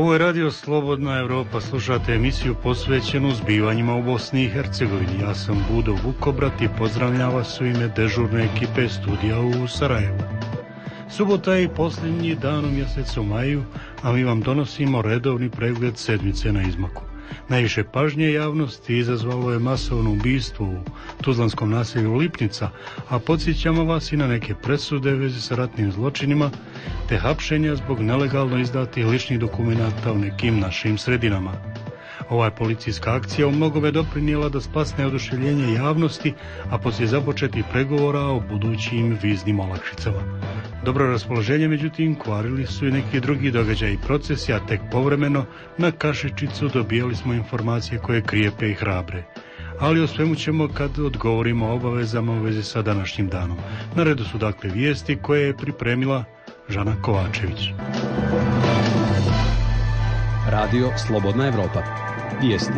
Ovo je Radio Slobodna Evropa, slušate emisiju posvećenu zbivanjima u Bosni i Hercegovini. Ja sam Budo Vukobrat i pozdravljam vas u ime dežurne ekipe studija u Sarajevu. Subota je i posljednji dan u mjesecu maju, a mi vam donosimo redovni pregled sedmice na izmaku. Najviše pažnje javnosti izazvalo je masovno ubistvo u tuzlanskom naselju Lipnica, a podsjećamo vas i na neke presude u vezi sa ratnim zločinima, te hapšenja zbog nelegalno izdatih ličnih dokumenata u nekim našim sredinama. Ova je policijska akcija u mnogome doprinijela da splasne oduševljenje javnosti, a poslije započetih pregovora o budućim viznim olakšicama. Dobro raspoloženje, međutim, kvarili su i neki drugi događaji i procesi, a tek povremeno na kašičicu dobijali smo informacije koje krijepe i hrabre. Ali o svemu ćemo kad odgovorimo o obavezama u vezi sa današnjim danom. Na redu su dakle vijesti koje je pripremila Žana Kovačević. Radio Slobodna Evropa. Vijesti.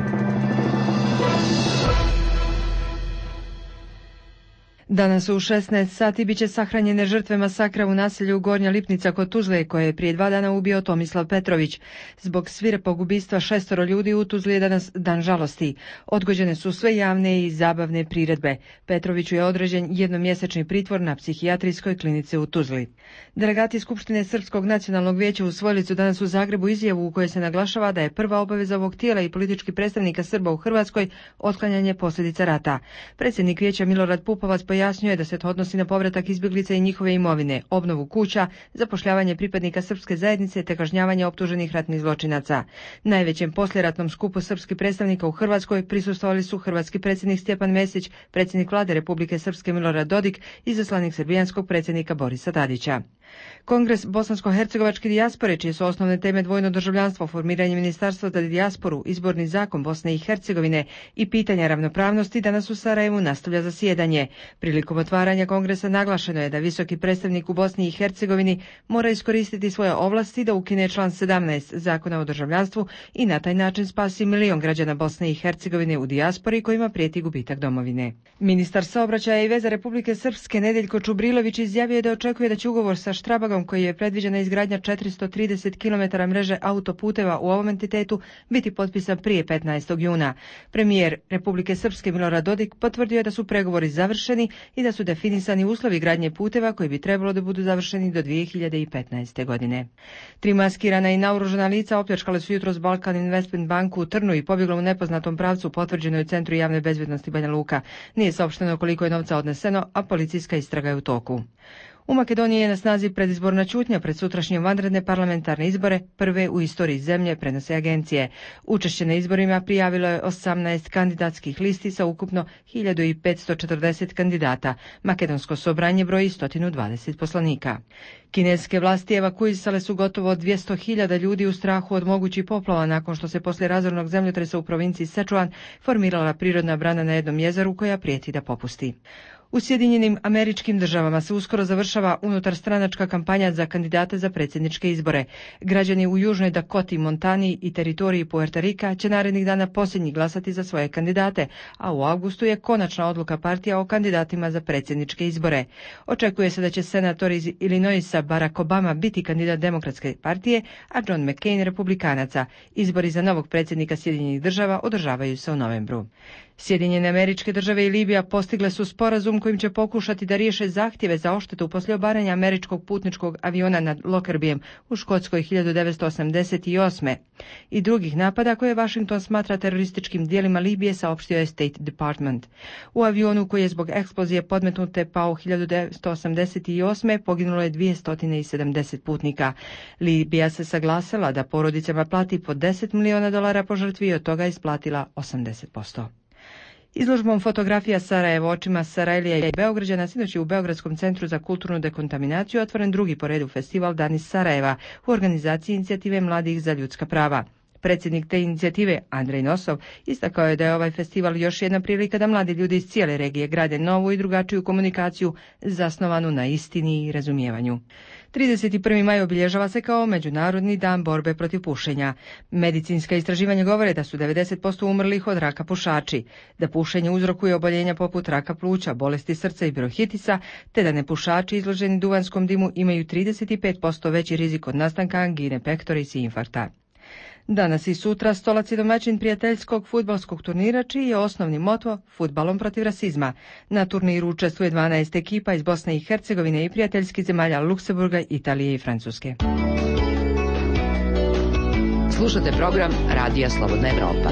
Danas u 16 sati biće sahranjene žrtve masakra u naselju Gornja Lipnica kod Tuzle, koje je prije 2 dana ubio Tomislav Petrović. Zbog svirepog ubistva 6 ljudi u Tuzli je danas dan žalosti. Odgođene su sve javne i zabavne priredbe. Petroviću je određen jednomjesečni pritvor na psihijatrijskoj klinici u Tuzli. Delegati Skupštine Srpskog nacionalnog vijeća usvojili su danas u Zagrebu izjavu u kojoj se naglašava da je prva obaveza ovog tijela i političkih predstavnika Srba u Hrvatskoj otklanjanje posljedica rata. Predsjednik vijeća Milorad Pupovac pojasnio je da se to odnosi na povratak izbjeglica i njihove imovine, obnovu kuća, zapošljavanje pripadnika srpske zajednice te kažnjavanje optuženih ratnih zločinaca. Najvećem poslijeratnom skupu srpskih predstavnika u Hrvatskoj prisustvovali su hrvatski predsjednik Stjepan Mesić, predsjednik vlade Republike Srpske Milorad Dodik i izaslanik srbijanskog predsjednika Borisa Tadića. Kongres bosansko-hercegovačke dijaspore, čije su osnovne teme dvojno državljanstvo, formiranje ministarstva za dijasporu, izborni zakon Bosne i Hercegovine i pitanja ravnopravnosti, danas u Sarajevu nastavlja zasjedanje. Prilikom otvaranja kongresa naglašeno je da visoki predstavnik u Bosni i Hercegovini mora iskoristiti svoje ovlasti da ukine član 17 Zakona o državljanstvu i na taj način spasi 1 milion građana Bosne i Hercegovine u dijaspori kojima prijeti gubitak domovine. Ministar saobraćaja i veza Republike Srpske Nedeljko Čubrilović izjavio je da očekuje da će ugovor sa Štrabagom, koji je predviđena izgradnja 430 km mreže autoputeva u ovom entitetu, biti potpisan prije 15. juna. Premijer Republike Srpske Milorad Dodik potvrdio je da su pregovori završeni i da su definisani uslovi gradnje puteva koji bi trebalo da budu završeni do 2015. godine. 3 maskirana i naoružana lica opljačkale su jutros Balkan Investment banku u Trnu i pobjeglo u nepoznatom pravcu, potvrđeno je u Centru javne bezbjednosti Banja Luka. Nije saopšteno koliko je novca odneseno, a policijska istraga je u toku. U Makedoniji je na snazi predizborna ćutnja pred sutrašnje vanredne parlamentarne izbore, prve u istoriji zemlje, prenose agencije. Učešće na izborima prijavilo je 18 kandidatskih listi sa ukupno 1540 kandidata. Makedonsko sobranje broji 120 poslanika. Kineske vlasti evakuisale su gotovo 200.000 ljudi u strahu od mogućih poplava nakon što se poslije razornog zemljotresa u provinciji Sečuan formirala prirodna brana na jednom jezeru koja prijeti da popusti. U Sjedinjenim Američkim Državama se uskoro završava unutarstranačka kampanja za kandidate za predsjedničke izbore. Građani u Južnoj Dakoti, Montani i teritoriji Puerto Rika će narednih dana posljednji glasati za svoje kandidate, a u avgustu je konačna odluka partija o kandidatima za predsjedničke izbore. Očekuje se da će senator iz Illinoisa Barack Obama biti kandidat Demokratske partije, a John McCain republikanaca. Izbori za novog predsjednika Sjedinjenih Država održavaju se u novembru. Sjedinjene Američke Države i Libija postigle su sporazum kojim će pokušati da riješe zahtjeve za odštetu poslije obaranja američkog putničkog aviona nad Lockerbijem u Škotskoj 1988. i drugih napada koje Washington smatra terorističkim dijelima Libije, saopštio je State Department. U avionu koji je zbog eksplozije podmetnute pao 1988. poginulo je 270 putnika. Libija se saglasila da porodicama plati po $10 miliona po žrtvi i od toga isplatila 80%. Izložbom fotografija Sarajevo očima Sarajlija i Beograđana sinoć je u Beogradskom centru za kulturnu dekontaminaciju otvoren drugi po redu festival Dani Sarajeva u organizaciji inicijative Mladih za ljudska prava. Predsjednik te inicijative, Andrej Nosov, istakao je da je ovaj festival još jedna prilika da mladi ljudi iz cijele regije grade novu i drugačiju komunikaciju zasnovanu na istini i razumijevanju. 31. maj obilježava se kao Međunarodni dan borbe protiv pušenja. Medicinska istraživanja govore da su 90% umrlih od raka pušači, da pušenje uzrokuje oboljenja poput raka pluća, bolesti srca i bronhitisa, te da nepušači izloženi duvanskom dimu imaju 35% veći rizik od nastanka angine pectoris i infarkta. Danas i sutra Stolac je domaćin prijateljskog fudbalskog turnira čiji je osnovni moto fudbalom protiv rasizma. Na turniru učestvuje 12 ekipa iz Bosne i Hercegovine i prijateljskih zemalja Luksemburga, Italije i Francuske. Slušate program Radija Slobodna Evropa.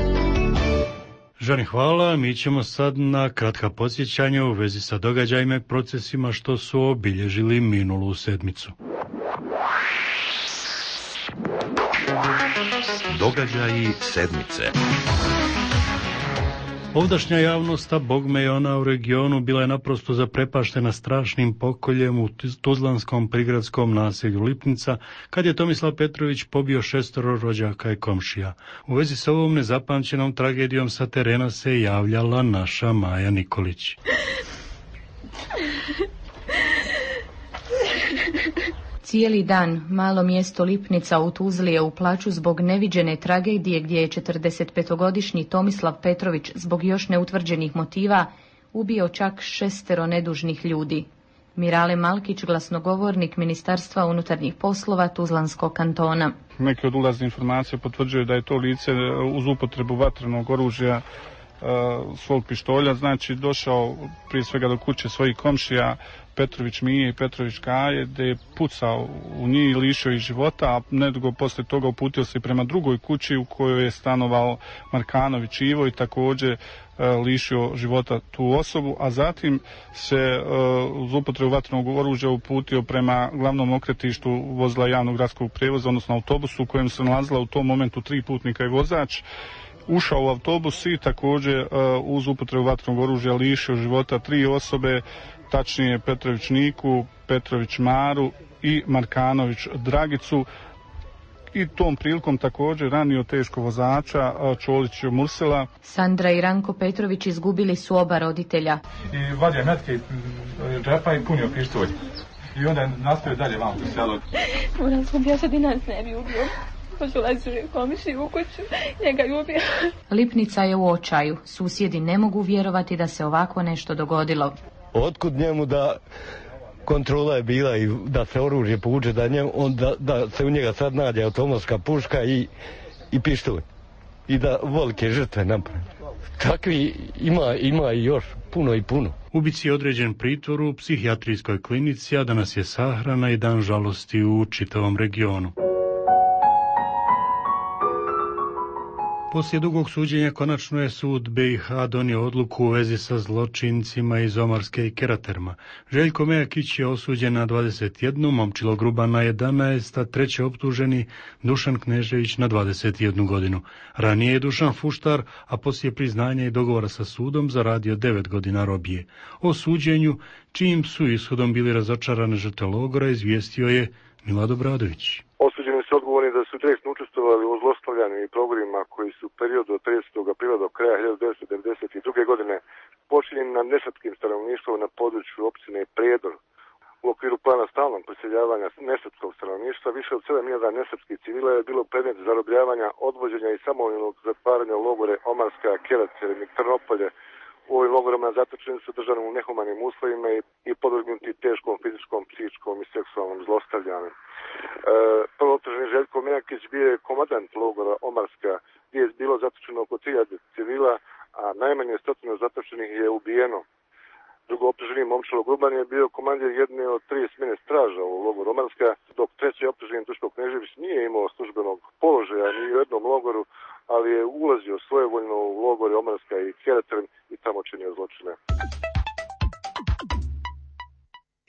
Žani, hvala. Mi ćemo sad na kratka podsjećanja u vezi sa događajima i procesima što su obilježili minulu sedmicu. Događaji sedmice. Ovdašnja javnost, a bogme i ona u regionu, bila je naprosto zaprepaštena strašnim pokoljem u tuzlanskom prigradskom naselju Lipnica, kad je Tomislav Petrović pobio 6 rođaka i komšija. U vezi sa ovom nezapamćenom tragedijom sa terena se javljala naša Maja Nikolić. Cijeli dan malo mjesto Lipnica u Tuzli je u plaću zbog neviđene tragedije gdje je 45-godišnji Tomislav Petrović zbog još neutvrđenih motiva ubio čak 6 nedužnih ljudi. Mirale Malkić, glasnogovornik Ministarstva unutarnjih poslova Tuzlanskog kantona. Neke od ulazne informacije potvrđuju da je to lice uz upotrebu vatrenog oružja svog pištolja, znači došao prije svega do kuće svojih komšija Petrović Mije i Petrović Kaje, gdje je pucao u njih i lišio ih života, a nedugo poslije toga uputio se prema drugoj kući u kojoj je stanovao Markanović Ivo i također lišio života tu osobu, a zatim se uz upotrebu vatrenog oružja uputio prema glavnom okretištu vozila javnog gradskog prijevoza, odnosno autobusu u kojem se nalazila u tom momentu 3 putnika i vozač. Ušao u autobus i također uz upotrebu vatrenog oružja lišio života 3 osobe, tačnije Petrović Niku, Petrović Maru i Markanović Dragicu. I tom prilikom također ranio teško vozača Čolić Mursela. Sandra i Ranko Petrović izgubili su oba roditelja. I vadio metke iz džepa i punio pištolj. I onda je nastavio dalje vam u selu. Moram sam ja sad i nas ne bi ubio. Poželazi komiši u kuću, njega je ubio. Lipnica je u očaju. Susjedi ne mogu vjerovati da se ovako nešto dogodilo. Otkud njemu da kontrola je bila i da se oružje povuče, da se u njega sad nađe automatska puška i pištolj. I da velike žrtve napravi. Takvi ima i još puno i puno. Ubici je određen pritvor u psihijatrijskoj klinici, a danas je sahrana i dan žalosti u čitavom regionu. Poslije dugog suđenja konačno je sud BiH donio odluku u vezi sa zločincima iz Omarske i Keraterma. Željko Mejakić je osuđen na 21, Momčilo Gruban na 11, a treći optuženi Dušan Knežević na 21 godinu. Ranije je Dušan Fuštar, a poslije priznanja i dogovora sa sudom zaradio 9 godina robije. O suđenju, čijim su ishodom bili razočarane žrtve logora, izvijestio je Milad Obradović. Osuđeni su odgovorni da su direktno učestvovali u zlostavljanju i progonima koji su u periodu od 30. aprila do kraja 1992. godine počinjeni nad nesrpskim stanovništvom na području općine Prijedor. U okviru plana stalnog preseljavanja nesrpskog stanovništva više od 7.000 nesrpskih civila je bilo predmet zarobljavanja, odvođenja i samovoljnog zatvaranja u logore Omarska, Kerater i Trnopolje. U ovim logorama zatočeni su držani u nehumanim uslovima i podvrgnuti teškom fizičkom, psihičkom i seksualnom zlostavljanju. Prvo optuženi Željko Mejakić bio je komandant logora Omarska, gdje je bilo zatočeno oko 1000 civila, a najmanje 100 zatočenih je ubijeno. Drugo optuženi Momčilo Gruban je bio komandir jedne od 3 smjene straža u logoru Omarska, dok treći optuženi Duško Knežević nije imao službenog položaja ni u jednom logoru, ali je ulazio svojevoljno u logore Omarska i Kerater i tamo činio zločine.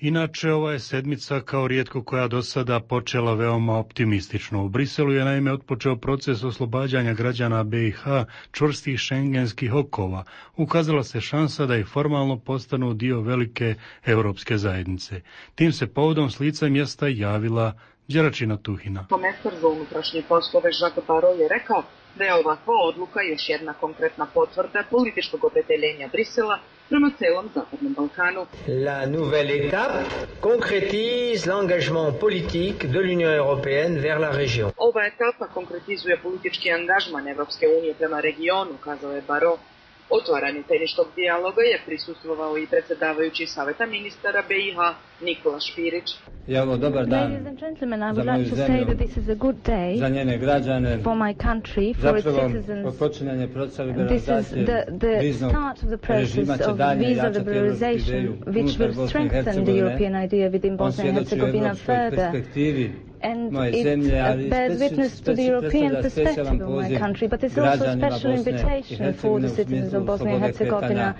Inače, ova je sedmica kao rijetko koja do sada počela veoma optimistično. U Briselu je naime otpočeo proces oslobađanja građana BiH čvrstih šengenskih okova. Ukazala se šansa da i formalno postanu dio velike europske zajednice. Tim se povodom s lica mjesta javila Đeračina Tuhina. Komesar za unutrašnje poslove Jacques Parot je rekao da je ovakva odluka još jedna konkretna potvrda političkog opredeljenja Brisela prema celom Zapadnom Balkanu. La nouvelle étape concrétise l'engagement politique de l'Union européenne vers la région. Ova etapa konkretizuje politički angažman Evropske unije prema regionu, kazao je Barrot. Otvaranju tehničkog dijaloga je prisustvovao i predsjedavajući Saveta ministara BiH Nikola Špirić. Je ovo dobar dan za moju zemlju, za njene građane, zapravo počinjanje procesa liberalizacije viznog režima će dalje jačati evropsku ideju unutar Bosne i Hercegovine. On svjedoči o evropskoj perspektivi moje zemlje, ali predstavlja specijalan poziv građanima Bosne i Hercegovine u smislu slobode kretanja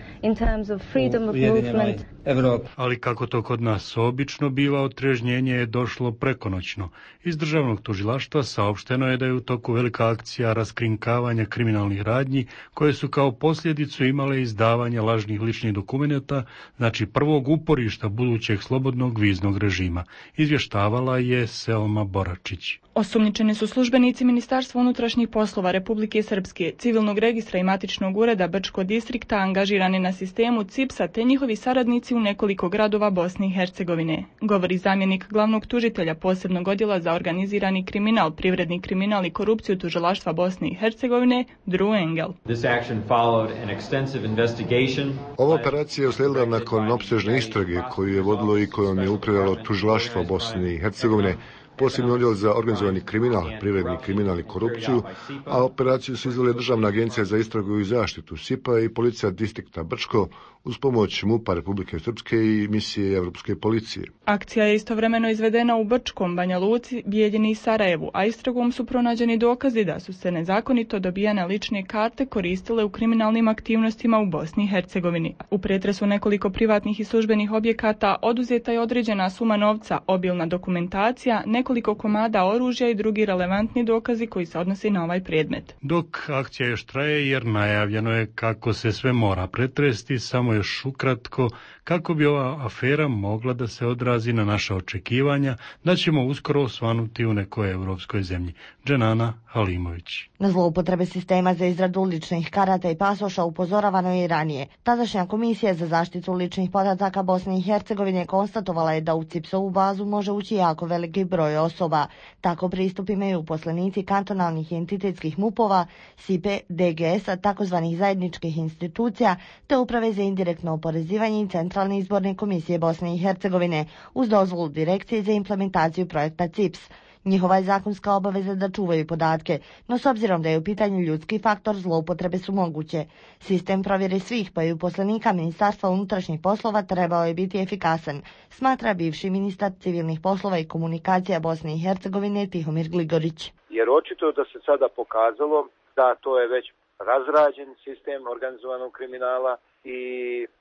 u ujedinjenoj Evropi. Ali kako to kod nas obično biva, otrežnjenje je došlo prekonoćno. Iz državnog tužilaštva saopšteno je da je u toku velika akcija raskrinkavanja kriminalnih radnji koje su kao posljedicu imale izdavanje lažnih ličnih dokumenata, znači prvog uporišta budućeg slobodnog viznog režima. Izvještavala je Selma Boračić. Osumnjičeni su službenici Ministarstva unutrašnjih poslova Republike Srpske, Civilnog registra i matičnog ureda Brčko distrikta angažirani na sistemu CIPS-a te njihovi saradnici u nekoliko gradova Bosne i Hercegovine, govori zamjenik glavnog tužitelja posebnog odjela za organizirani kriminal, privredni kriminal i korupciju tužilaštva Bosne i Hercegovine, Drew Engel. Ova operacija je uslijedila nakon opsežne istrage koju je vodilo i kojom je upravljalo tužilaštvo Bosne i Hercegovine, posebni odjel za organizovani kriminal, privredni kriminal i korupciju, a operaciju su izvele Državna agencija za istragu i zaštitu SIP-a i policija distrikta Brčko uz pomoć MUP-a Republike Srpske i misije Evropske policije. Akcija je istovremeno izvedena u Brčkom, Banja Luci, Bijeljini i Sarajevu, a istragom su pronađeni dokazi da su se nezakonito dobijane lične karte koristile u kriminalnim aktivnostima u Bosni i Hercegovini. U pretresu nekoliko privatnih i službenih objekata oduzeta je određena suma novca, obilna dokumentacija, nekoliko komada oružja i drugi relevantni dokazi koji se odnose na ovaj predmet. Dok akcija još traje jer najavljeno je kako se sve mora pretresti, samo još ukratko kako bi ova afera mogla da se odrazi na naša očekivanja da ćemo uskoro osvanuti u nekoj europskoj zemlji. Dženana Halimović. Na zloupotrebe sistema za izradu ličnih karata i pasoša upozoravano je i ranije. Tadašnja komisija za zaštitu ličnih podataka Bosne i Hercegovine konstatovala je da u CIPS-ovu bazu može ući jako veliki broj osoba. Tako pristup imaju uposlenici kantonalnih i entitetskih MUP-ova, SIPE, DGS-a, takozvanih zajedničkih institucija, te uprave za indirektno oporezivanje i Centralne izborne komisije Bosne i Hercegovine uz dozvolu Direkcije za implementaciju projekta CIPS. Njihova je zakonska obaveza da čuvaju podatke, no s obzirom da je u pitanju ljudski faktor, zloupotrebe su moguće. Sistem provjere svih, pa i uposlenika Ministarstva unutrašnjih poslova trebao je biti efikasan, smatra bivši ministar civilnih poslova i komunikacija Bosne i Hercegovine Tihomir Gligorić. Jer očito da se sada pokazalo da to je već razrađen sistem organizovanog kriminala i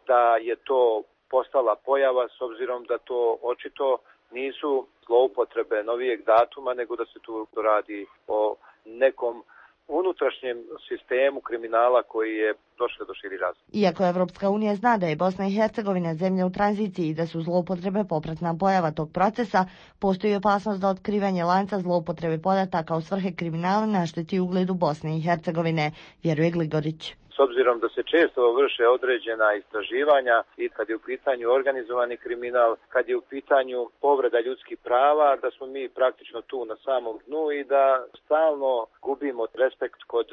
da je to postala pojava s obzirom da to očito nisu zloupotrebe novijeg datuma, nego da se tu radi o nekom unutrašnjem sistemu kriminala koji je došao do širi razvoja. Iako Evropska unija zna da je Bosna i Hercegovina zemlja u tranziciji i da su zloupotrebe popratna pojava tog procesa, postoji opasnost da otkrivanje lanca zloupotrebe podataka u svrhe kriminala našteti ugledu Bosne i Hercegovine, vjeruje Gligorić. S obzirom da se često vrše određena istraživanja i kad je u pitanju organizovani kriminal, kad je u pitanju povreda ljudskih prava, da smo mi praktično tu na samom dnu i da stalno gubimo respekt kod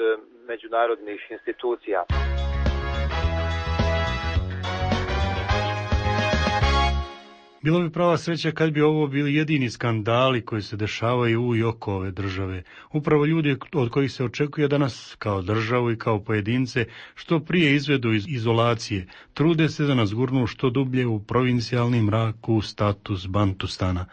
međunarodnih institucija. Bilo bi prava sreća kad bi ovo bili jedini skandali koji se dešavaju u i oko ove države. Upravo ljudi od kojih se očekuje da nas kao državu i kao pojedince što prije izvedu iz izolacije, trude se da nas gurnu što dublje u provincijalni mrak u status Bantustana.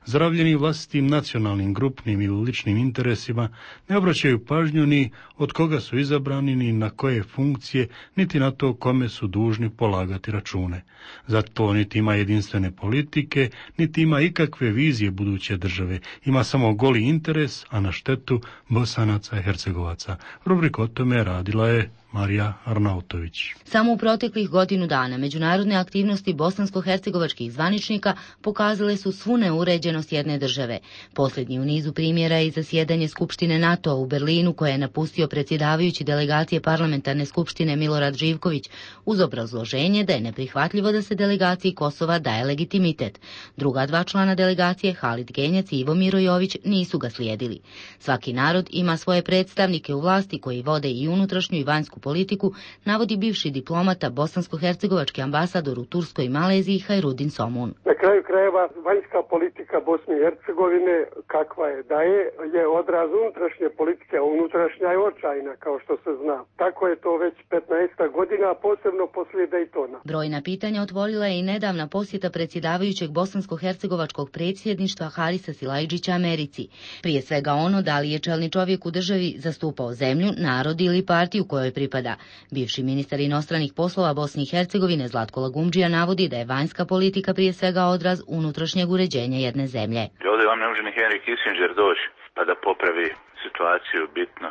Zaravljeni vlastitim nacionalnim, grupnim ili ličnim interesima, ne obraćaju pažnju ni od koga su izabrani, ni na koje funkcije, niti na to kome su dužni polagati račune. Zato niti ima jedinstvene politike, niti ima ikakve vizije buduće države. Ima samo goli interes, a na štetu Bosanaca i Hercegovaca. Rubriku o tome radila je Marija Arnautović. Samo u proteklih godinu dana međunarodne aktivnosti bosansko-hercegovačkih zvaničnika pokazale su svu neuređenost jedne države. Posljednji u nizu primjera je i zasjedanje Skupštine NATO-a u Berlinu koje je napustio predsjedavajući delegacije parlamentarne skupštine Milorad Živković uz obrazloženje da je neprihvatljivo da se delegaciji Kosova daje legitimitet. Druga dva člana delegacije, Halid Genjac i Ivo Mirojović, nisu ga slijedili. Svaki narod ima svoje predstavnike u vlasti koji vode i unutrašnju i vanjsku vanjsku politiku, navodi bivši diplomata bosansko-hercegovački ambasador u Turskoj i Maleziji Hajrudin Somun. Na kraju krajeva vanjska politika Bosne i Hercegovine, kakva je da je odraz unutrašnje politike, a unutrašnja je očajna, kao što se zna. Tako je to već 15 godina, posebno poslije Dejtona. Brojna pitanja otvorila je i nedavna posjeta predsjedavajućeg bosansko-hercegovačkog predsjedništva Harisa Silajdžića Americi. Prije svega ono da li je čelni čovjek u državi zastupao zemlju, narod ili partiju kojoj pripada. Bivši ministar inostranih poslova Bosne i Hercegovine Zlatko Lagumdžija navodi da je vanjska politika prije svega odraz unutrašnjeg uređenja jedne zemlje. Ovdje vam ne može ni Henry Kissinger doći pa da popravi situaciju bitno.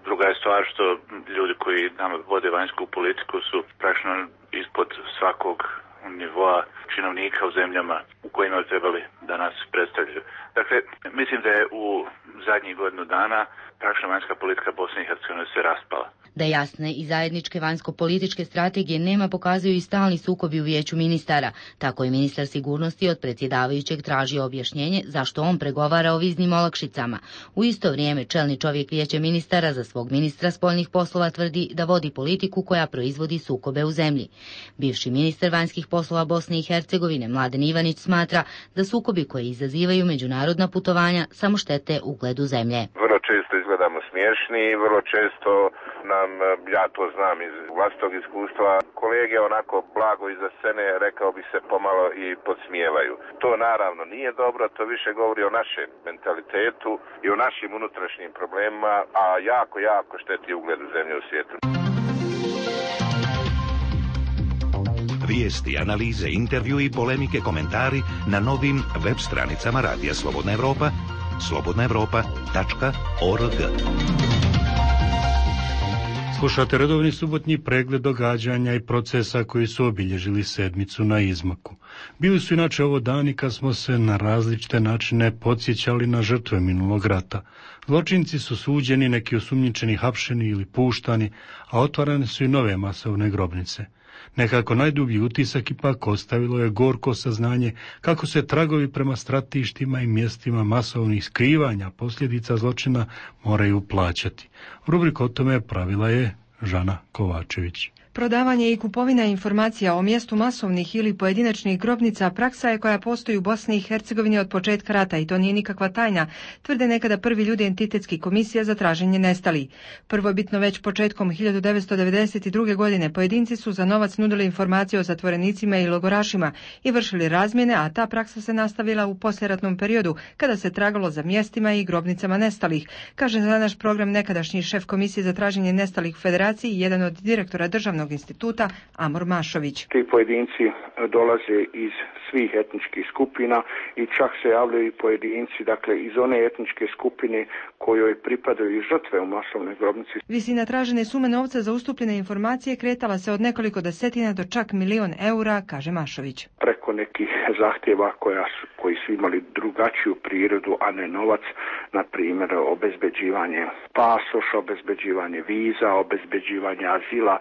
Druga je stvar što ljudi koji nam vode vanjsku politiku su praktično ispod svakog nivoa činovnika u zemljama u kojima bi trebali da nas predstavljaju. Dakle, mislim da je u zadnjih godinu dana praktično vanjska politika Bosne i Hercegovine se raspala. Da jasne i zajedničke vanjsko-političke strategije nema pokazuju i stalni sukobi u vijeću ministara. Tako je ministar sigurnosti od predsjedavajućeg tražio objašnjenje zašto on pregovara o viznim olakšicama. U isto vrijeme čelni čovjek vijeća ministara za svog ministra spoljnih poslova tvrdi da vodi politiku koja proizvodi sukobe u zemlji. Bivši ministar vanjskih poslova Bosne i Hercegovine Mladen Ivanić smatra da sukobi koji izazivaju međunarodna putovanja samo štete ugledu zemlje. Vrlo često izgledamo smiješni i vrlo često nam, ja to znam iz vlastitog iskustva, kolege onako blago iza scene, rekao bi se, pomalo i podsmijevaju. To naravno nije dobro, to više govori o našem mentalitetu i o našim unutrašnjim problemima, a jako šteti ugledu zemlje u svijetu. Vijesti, analize, intervju i polemike, komentari na novim web stranicama Radija Slobodna Evropa, slobodnaevropa.org. Slušate redovni subotnji pregled događanja i procesa koji su obilježili sedmicu na izmaku. Bili su inače ovo dani kad smo se na različite načine podsjećali na žrtve minulog rata. Zločinci su suđeni, neki osumnjičeni hapšeni ili puštani, a otvarane su i nove masovne grobnice. Nekako najdublji utisak ipak ostavilo je gorko saznanje kako se tragovi prema stratištima i mjestima masovnih skrivanja posljedica zločina moraju plaćati. Rubriku o tome pravila je Žana Kovačević. Prodavanje i kupovina informacija o mjestu masovnih ili pojedinačnih grobnica praksa je koja postoji u Bosni i Hercegovini od početka rata i to nije nikakva tajna, tvrde nekada prvi ljudi entitetskih komisija za traženje nestalih. Prvobitno već početkom 1992. godine pojedinci su za novac nudili informacije o zatvorenicima i logorašima i vršili razmjene, a ta praksa se nastavila u poslijeratnom periodu kada se tragalo za mjestima i grobnicama nestalih, kaže za naš program nekadašnji šef komisije za traženje nestalih u Federaciji i jedan od direktora državnog instituta Amor Mašović. Ti pojedinci dolaze iz svih etničkih skupina i čak se javljaju i pojedinci, dakle iz one etničke skupine kojoj pripadaju i žrtve u masovnoj grobnici. Visina tražene sume novca za ustupljene informacije kretala se od nekoliko desetina do čak €1.000.000, kaže Mašović. Preko nekih zahtjeva koji su imali drugačiju prirodu, a ne novac, na primjer obezbeđivanje pasoša, obezbeđivanje viza, obezbeđivanje azila,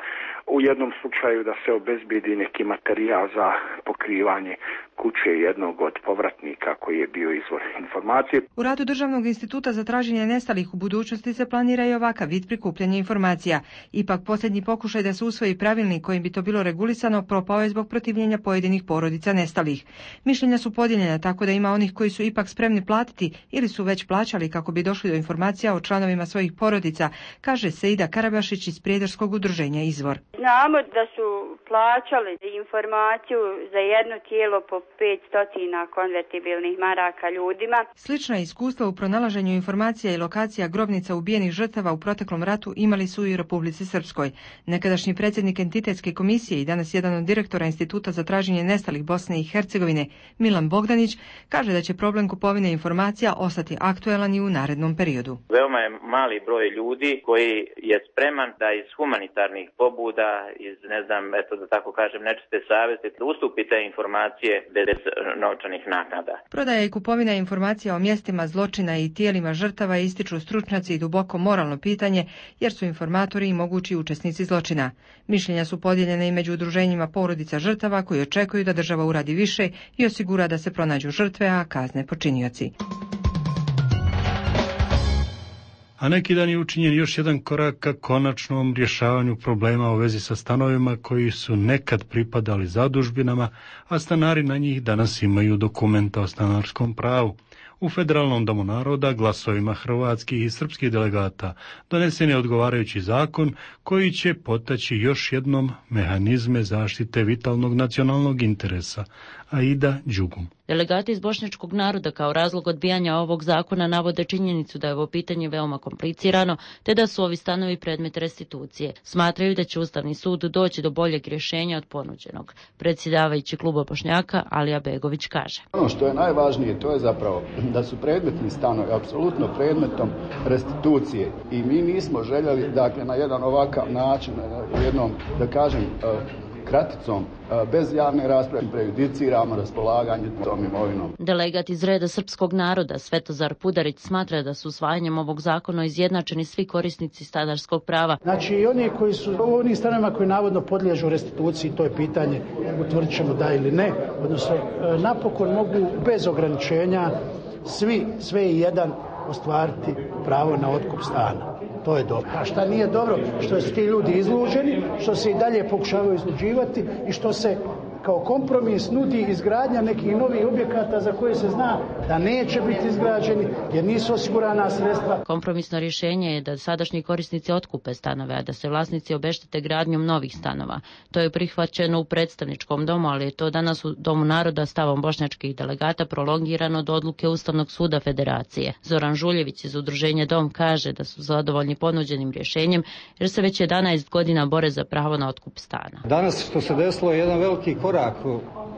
u jednom slučaju da se obezbedi neki materijal za pokrivanje kuće jednog od povratnika koji je bio izvor informacije. U radu Državnog instituta za traženje nestalih u budućnosti se planira i ovakav vid prikupljanja informacija. Ipak posljednji pokušaj da se usvoji pravilnik kojim bi to bilo regulisano propao je zbog protivljenja pojedinih porodica nestalih. Mišljenja su podijeljena tako da ima onih koji su ipak spremni platiti ili su već plaćali kako bi došli do informacija o članovima svojih porodica, kaže Seida Karabašić iz Prijedorskog udruženja Izvor. Znamo da su plaćali informaciju za jedno tijelo po 500 konvertibilnih maraka ljudima. Slična iskustva u pronalaženju informacija i lokacija grobnica ubijenih žrtava u proteklom ratu imali su i u Republici Srpskoj. Nekadašnji predsjednik entitetske komisije i danas jedan od direktora Instituta za traženje nestalih Bosne i Hercegovine, Milan Bogdanić, kaže da će problem kupovine informacija ostati aktuelan i u narednom periodu. Veoma je mali broj ljudi koji je spreman da iz humanitarnih pobuda, iz da tako kažem, nečiste savjesti, da ustupi te informacije bez novčanih naknada. Prodaja i kupovina informacija o mjestima zločina i tijelima žrtava ističu stručnjaci i duboko moralno pitanje, jer su informatori i mogući učesnici zločina. Mišljenja su podijeljene i među udruženjima porodica žrtava koji očekuju da država uradi više i osigura da se pronađu žrtve, a kazne počinioci. A neki dan je učinjen još jedan korak ka konačnom rješavanju problema u vezi sa stanovima koji su nekad pripadali zadužbinama, a stanari na njih danas imaju dokumenta o stanarskom pravu. U Federalnom domu naroda glasovima hrvatskih i srpskih delegata donesen je odgovarajući zakon koji će potaći još jednom mehanizme zaštite vitalnog nacionalnog interesa. Aida Đugum. Delegati iz bošnjačkog naroda kao razlog odbijanja ovog zakona navode činjenicu da je ovo pitanje veoma komplicirano, te da su ovi stanovi predmet restitucije. Smatraju da će Ustavni sud doći do boljeg rješenja od ponuđenog. Predsjedavajući kluba Bošnjaka Alija Begović kaže: Ono što je najvažnije, to je zapravo da su predmetni stanovi apsolutno predmetom restitucije i mi nismo željeli, dakle, na jedan ovakav način, jednom, da kažem, kraticom, bez javne rasprave prejudiciramo raspolaganje tom imovinom. Delegat iz reda srpskog naroda Svetozar Pudarić smatra da su usvajanjem ovog zakona izjednačeni svi korisnici stanarskog prava. Znači, oni koji su u onim stanovima koji navodno podliježu restituciji, to je pitanje, utvrdit ćemo da ili ne, odnosno napokon mogu bez ograničenja sve i jedan ostvariti pravo na otkup stana. To je dobro. A šta nije dobro? Što su ti ljudi izluđeni, što se i dalje pokušavaju izluđivati i što se kao kompromis nudi izgradnja nekih novih objekata za koje se zna da neće biti izgrađeni jer nisu osigurana sredstva. Kompromisno rješenje je da sadašnji korisnici otkupe stanove, a da se vlasnici obeštete gradnjom novih stanova. To je prihvaćeno u predstavničkom domu, ali je to danas u Domu naroda stavom bošnjačkih delegata prolongirano do odluke Ustavnog suda Federacije. Zoran Žuljević iz udruženja Dom kaže da su zadovoljni ponuđenim rješenjem jer se već 11 godina bore za pravo na otkup stana. Danas što se desilo je jedan veliki korak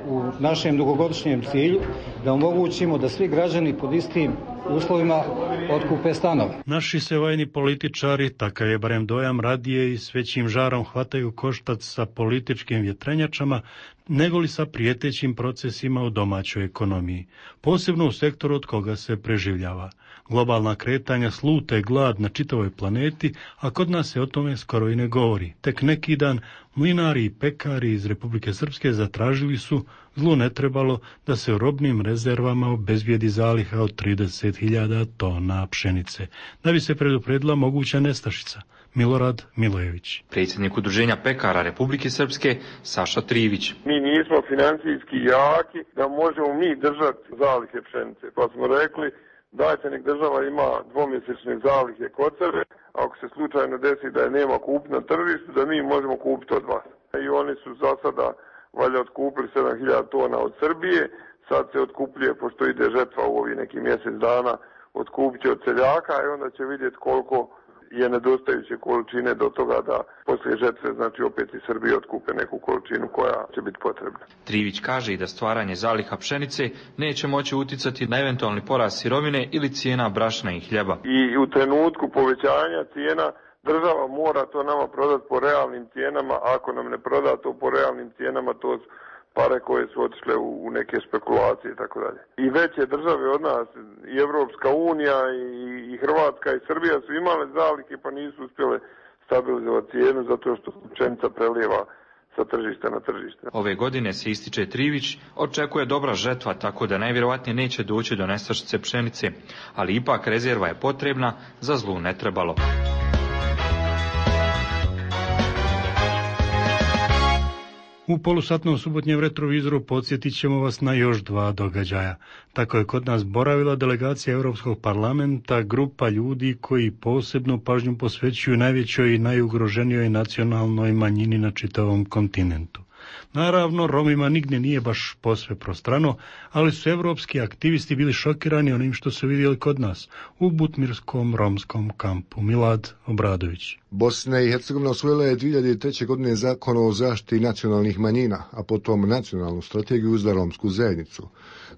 u našem dugogodišnjem cilju da omogućimo da svi građani pod istim uslovima otkupe stanove. Naši se vojni političari, takav je barem dojam, radije i s većim žarom hvataju koštac sa političkim vjetrenjačama nego li sa prijetećim procesima u domaćoj ekonomiji, posebno u sektoru od koga se preživljava. Globalna kretanja slute glad na čitavoj planeti, a kod nas se o tome skoro i ne govori. Tek neki dan mlinari i pekari iz Republike Srpske zatražili su, zlu ne trebalo, da se u robnim rezervama obezbijedi zaliha od 30.000 tona pšenice, da bi se predupredila moguća nestašica. Milorad Milojević. Predsjednik udruženja pekara Republike Srpske Saša Trivić. Mi nismo financijski jaki da možemo mi držati zalihe pšenice, pa smo rekli dajte nek država ima dvomjesečne zalihe kod sebe, ako se slučajno desi da je nema kupiti na tržištu, da mi možemo kupiti od vas. I oni su za sada valjda otkupili 7.000 tona od Srbije, sad se otkupljuje, pošto ide žetva u ovih neki mjesec dana, otkupit će od seljaka i onda će vidjeti koliko je nedostajuće količine do toga da poslije žetve, znači opet i Srbije otkupe neku količinu koja će biti potrebna. Trivić kaže i da stvaranje zaliha pšenice neće moći utjecati na eventualni porast sirovine ili cijena brašna i hljeba. I u trenutku povećanja cijena država mora to nama prodati po realnim cijenama, ako nam ne proda to po realnim cijenama, to pare koje su otišle u neke spekulacije i tako dalje. I veće države od nas, i Evropska unija, i Hrvatska i Srbija su imale zalihe pa nisu uspjele stabilizovati cijenu zato što pšenica prelijeva sa tržišta na tržište. Ove godine se, ističe Trivić, očekuje dobra žetva, tako da najvjerojatnije neće doći do nestašice pšenice, ali ipak rezerva je potrebna, za zlu ne trebalo. U polusatnom subotnjem retrovizoru podsjetit ćemo vas na još 2 događaja. Tako je kod nas boravila delegacija Europskog parlamenta, grupa ljudi koji posebnu pažnju posvećuju najvećoj i najugroženijoj nacionalnoj manjini na čitavom kontinentu. Naravno, Romima nigdje nije baš posve prostrano, ali su evropski aktivisti bili šokirani onim što su vidjeli kod nas, u Butmirskom romskom kampu. Milad Obradović. Bosna i Hercegovina usvojila je 2003. godine zakon o zaštiti nacionalnih manjina, a potom nacionalnu strategiju za romsku zajednicu.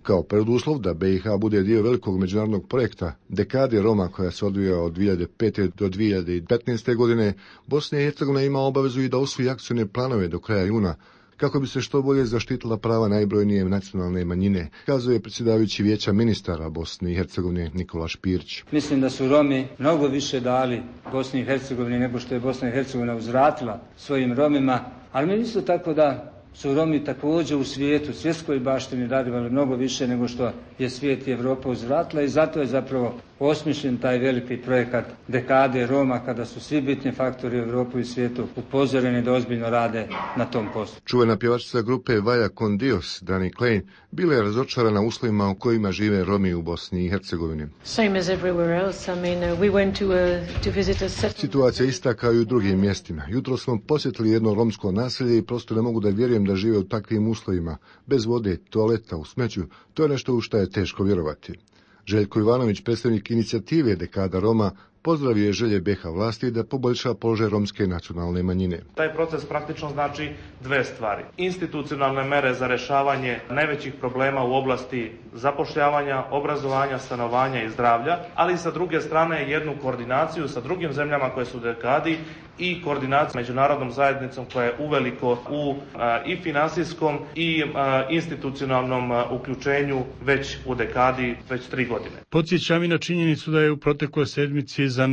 Kao preduslov da BiH bude dio velikog međunarodnog projekta Dekade Roma koja se odvija od 2005. do 2015. godine, Bosna i Hercegovina ima obavezu i da usvoji akcijne planove do kraja juna, kako bi se što bolje zaštitila prava najbrojnije nacionalne manjine, kazuje predsjedavajući Vijeća ministara Bosne i Hercegovine Nikola Špirić. Mislim da su Romi mnogo više dali Bosni i Hercegovini nego što je Bosna i Hercegovina uzvratila svojim Romima, ali mi isto tako da su Romi također u svijetu, svjetskoj baštini darivali mnogo više nego što je svijet i Evropa uzvratila i zato je zapravo osmišljen taj veliki projekat dekade Roma, kada su svi bitni faktori u Europi i svijetu upozoreni da ozbiljno rade na tom poslu. Čuvena pjevačica grupe Vaya con Dios, Dani Klein, bila je razočarana uslovima u kojima žive Romi u Bosni i Hercegovini. Situacija ista kao i u drugim mjestima. Jutro smo posjetili jedno romsko naselje i prosto ne mogu da vjerujem da žive u takvim uslovima, bez vode, toaleta, u smeću. To je nešto u što je teško vjerovati. Željko Ivanović, predstavnik inicijative Dekada Roma, pozdravio je želje BiH vlasti da poboljša položaj romske nacionalne manjine. Taj proces praktično znači dve stvari. Institucionalne mere za rješavanje najvećih problema u oblasti zapošljavanja, obrazovanja, stanovanja i zdravlja, ali i sa druge strane jednu koordinaciju sa drugim zemljama koje su u dekadi i koordinaciju s međunarodnom zajednicom koja je uveliko u i financijskom i institucionalnom uključenju već u dekadi, već 3 godine. Podsjećam i na činjenicu da je u protekloj sedmici za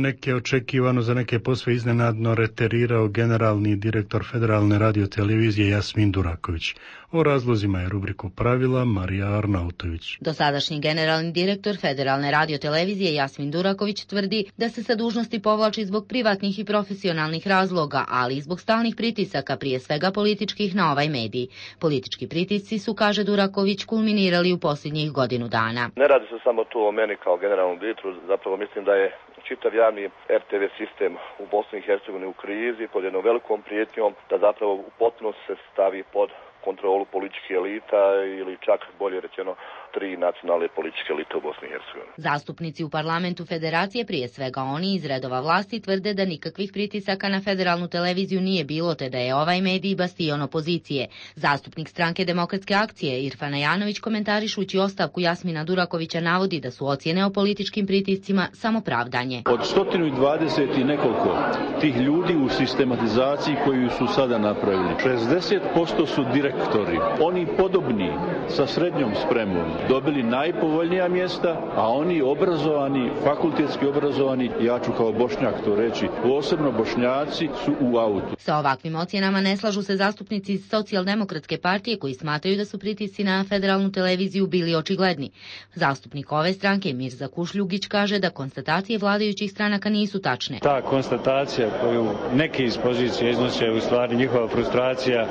neke posve iznenadno reterirao generalni direktor Federalne radiotelevizije Jasmin Duraković. O razlozima je rubriku pravila Marija Arnautović. Dosadašnji generalni direktor Federalne radiotelevizije Jasmin Duraković tvrdi da se sa dužnosti povlači zbog privatnih i profesionalnih razloga, ali i zbog stalnih pritisaka, prije svega političkih, na ovaj medij. Politički pritisci su, kaže Duraković, kulminirali u posljednjih godinu dana. Ne radi se samo tu o meni kao generalnom direktoru, zapravo mislim da je čitav javni RTV sistem u Bosni i Hercegovini u krizi, pod jednom velikom prijetnjom da zapravo u potpunosti se stavi pod kontrolu političkih elita ili čak bolje rečeno 3 nacionalne političke elite u Bosni i Hercegovini. Zastupnici u parlamentu federacije, prije svega oni iz redova vlasti, tvrde da nikakvih pritisaka na federalnu televiziju nije bilo, te da je ovaj medij bastion opozicije. Zastupnik stranke Demokratske akcije Irfan Ajanović, komentarišući ostavku Jasmina Durakovića, navodi da su ocjene o političkim pritiscima samo pravdanje. Od 120 i nekoliko tih ljudi u sistematizaciji koju su sada napravili, 60% su direktori, oni podobni sa srednjom spremom, dobili najpovoljnija mjesta, a oni obrazovani, fakultetski obrazovani, ja ću kao Bošnjak to reći, posebno Bošnjaci, su u autu. Sa ovakvim ocjenama ne slažu se zastupnici iz Socijaldemokratske partije, koji smatraju da su pritisci na federalnu televiziju bili očigledni. Zastupnik ove stranke Mirza Kušljugić kaže da konstatacije vladajućih stranaka nisu tačne. Ta konstatacija koju neki iz pozicije iznose je u stvari njihova frustracija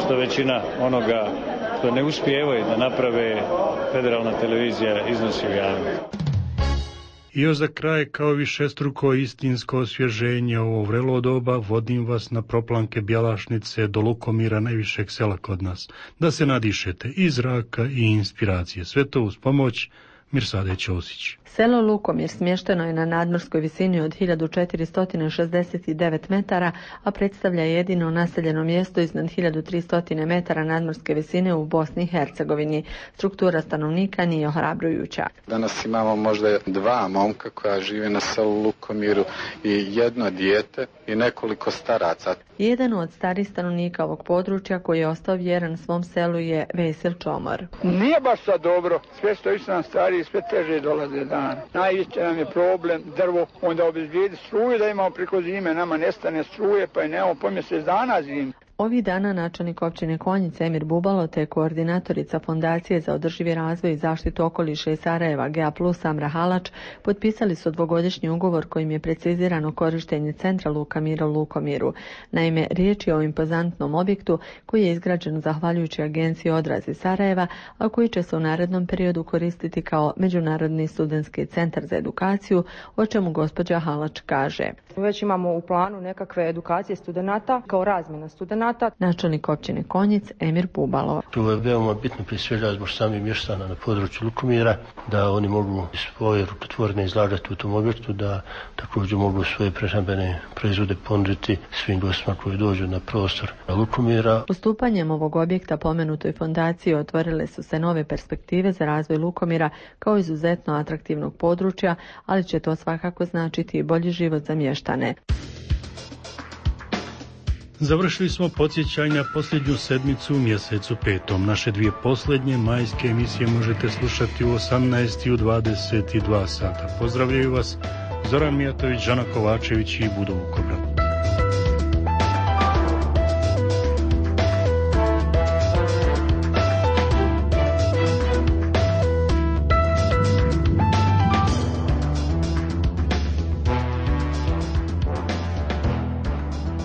što većina onoga što ne uspijevaju da naprave federalna televizija iznosi u javnost. I još za kraj, kao višestruko istinsko osvježenje ovo vrelo doba, vodim vas na proplanke Bjelašnice do Lukomira, najvišeg sela kod nas, da se nadišete i zraka i inspiracije. Sve to uz pomoć Mirsade Ćosić. Selo Lukomir smješteno je na nadmorskoj visini od 1469 metara, a predstavlja jedino naseljeno mjesto iznad 1300 metara nadmorske visine u Bosni i Hercegovini. Struktura stanovnika nije ohrabrujuća. Danas imamo možda 2 momka koja žive na selu Lukomiru i 1 dijete i nekoliko staraca. Jedan od starih stanovnika ovog područja koji je ostao vjeran svom selu je Vesil Čomor. Nije baš sad dobro, sve što su nam stariji, sve teže dolaze dan. Najveći nam je problem drvo, onda obezbijedi struju da imamo preko zime, nama nestane struje pa je nemamo po mjesec dana zime. Ovih dana načelnik općine Konjice Emir Bubalo te koordinatorica Fondacije za održivi razvoj i zaštitu okoliša iz Sarajeva GA+ Amra Halač potpisali su 2-godišnji ugovor kojim je precizirano korištenje centra Luka Mira u Lukomiru. Naime, riječ je o impozantnom objektu koji je izgrađen zahvaljujući agenciji Odraz iz Sarajeva, a koji će se u narednom periodu koristiti kao Međunarodni studentski centar za edukaciju, o čemu gospođa Halač kaže. Već imamo u planu nekakve edukacije studenata kao razmjena studenata. Načelnik općine Konjic Emir Bubalo. To je veoma bitno prije svega zbog samih mještana na području Lukomira, da oni mogu svoje rukotvorne izlagati u tom objektu, da također mogu svoje prehrambene proizvode ponuditi svim gostima koji dođu na prostor Lukomira. Ustupanjem ovog objekta pomenutoj fondaciji otvorile su se nove perspektive za razvoj Lukomira kao izuzetno atraktivnog područja, ali će to svakako značiti i bolji život za mještane. Završili smo podsjećanja posljednju sedmicu u mjesecu 5. Naše 2 posljednje majske emisije možete slušati u 18 i u 22 sata. Pozdravljaju vas Zoran Mijatović, Žana Kovačević i Budo Vukobrat.